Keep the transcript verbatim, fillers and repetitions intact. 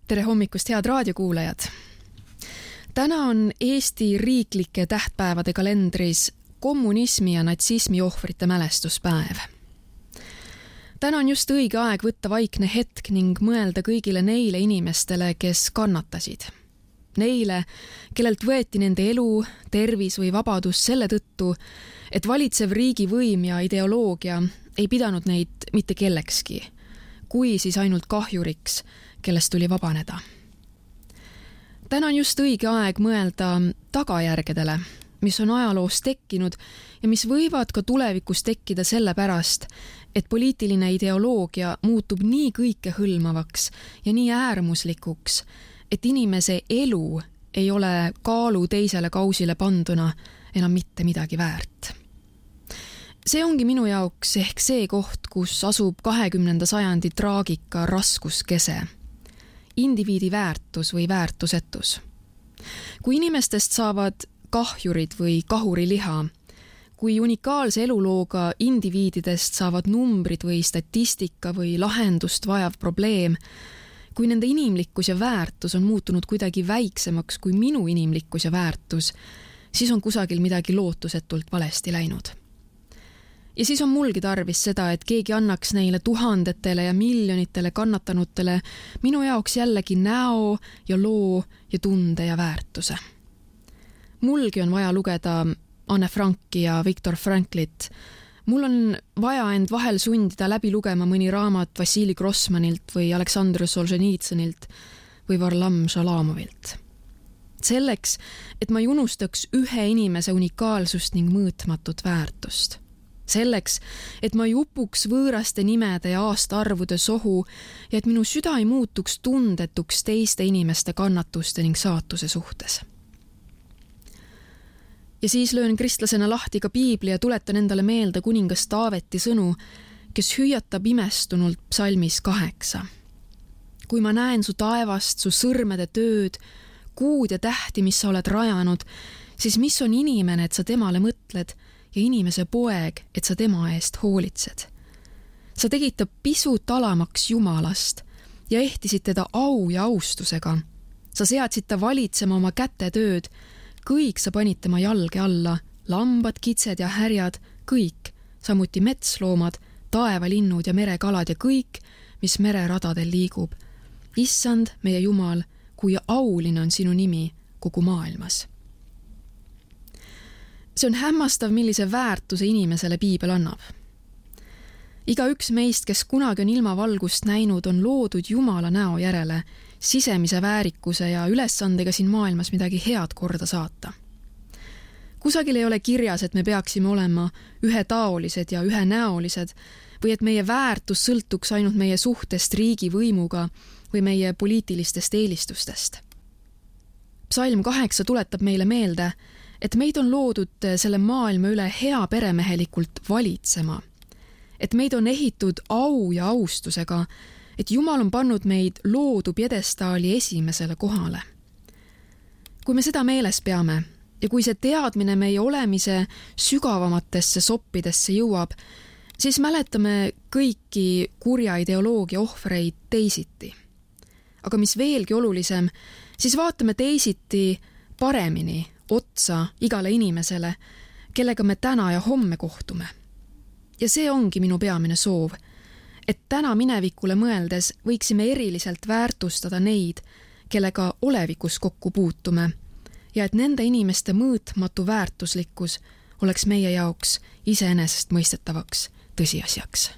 Tere hommikust, head raadiokuulajad! Täna on Eesti riiklike tähtpäevade kalendris kommunismi ja natsismi ohvrite mälestuspäev. Täna on just õige aeg võtta vaikne hetk ning mõelda kõigile neile inimestele, kes kannatasid. Neile, kellelt võeti nende elu, tervis või vabadus selle tõttu, et valitsev riigivõim ja ideoloogia ei pidanud neid mitte kellekski, kui siis ainult kahjuriks, kellest tuli vabaneda. Täna on just õige aeg mõelda tagajärgedele, mis on ajaloos tekkinud ja mis võivad ka tulevikus tekkida selle pärast, et poliitiline ideoloogia muutub nii kõikehõlmavaks ja nii äärmuslikuks, et inimese elu ei ole kaalu teisele kausile panduna enam mitte midagi väärt. See ongi minu jaoks ehk see koht, kus asub kahekümnenda sajandi traagika raskuskese. Indiviidi väärtus või väärtusetus. Kui inimestest saavad kahjurid või kahuriliha, kui unikaalse elulooga indiviididest saavad numbrid või statistika või lahendust vajav probleem, kui nende inimlikkus ja väärtus on muutunud kuidagi väiksemaks kui minu inimlikkus ja väärtus, siis on kusagil midagi lootusetult valesti läinud. Ja siis on mulgi tarvis seda, et keegi annaks neile tuhandetele ja miljonitele kannatanutele minu jaoks jällegi näo ja loo ja tunde ja väärtuse. Mulgi on vaja lugeda Anne Franki ja Viktor Franklit. Mul on vaja end vahel sundida läbi lugema mõni raamat Vassili Grossmanilt või Aleksandr Solženitsõnilt või Varlam Šalamovilt. Selleks, et ma ei unustaks ühe inimese unikaalsust ning mõõtmatut väärtust. Selleks, et ma ei upuks võõraste nimede ja aastaarvude sohu ja et minu süda ei muutuks tundetuks teiste inimeste kannatuste ning saatuse suhtes. Ja siis löön kristlasena lahti ka piibli ja tuletan endale meelde kuningas Taaveti sõnu, kes hüüatab imestunult psalmis kaheksa. Kui ma näen su taevast, su sõrmede tööd, kuud ja tähti, mis sa oled rajanud, siis mis on inimene, et sa temale mõtled, ja inimese poeg, et sa tema eest hoolitsed. Sa tegid ta pisut alamaks Jumalast ja ehtisid teda au ja austusega. Sa seadsid ta valitsema oma kätetööd, kõik sa panid tema jalge alla, lambad, kitsed ja härjad, kõik, samuti metsloomad, taevalinnud ja merekalad ja kõik, mis mereradadel liigub. Issand, meie Jumal, kui auline on sinu nimi kogu maailmas. See on hämmastav, millise väärtuse inimesele piibel annab. Iga üks meist, kes kunagi on ilmavalgust näinud, on loodud Jumala näo järele, sisemise väärikuse ja ülesandega siin maailmas midagi head korda saata. Kusagil ei ole kirjas, et me peaksime olema ühetaolised ja ühenäolised või et meie väärtus sõltuks ainult meie suhtest riigivõimuga või meie poliitilistest eelistustest. Psalm kaheksa tuletab meile meelde, et meid on loodud selle maailma üle hea peremehelikult valitsema, et meid on ehitud au ja austusega, et Jumal on pannud meid loodu pjedestaali esimesele kohale. Kui me seda meeles peame ja kui see teadmine meie olemise sügavamatesse soppidesse jõuab, siis mäletame kõiki kurja ideoloogia ohvreid teisiti. Aga mis veelgi olulisem, siis vaatame teisiti paremini otsa igale inimesele, kellega me täna ja homme kohtume. Ja see ongi minu peamine soov, et täna minevikule mõeldes võiksime eriliselt väärtustada neid, kellega olevikus kokku puutume ja et nende inimeste mõõtmatu väärtuslikkus oleks meie jaoks iseenesest mõistetavaks tõsiasjaks.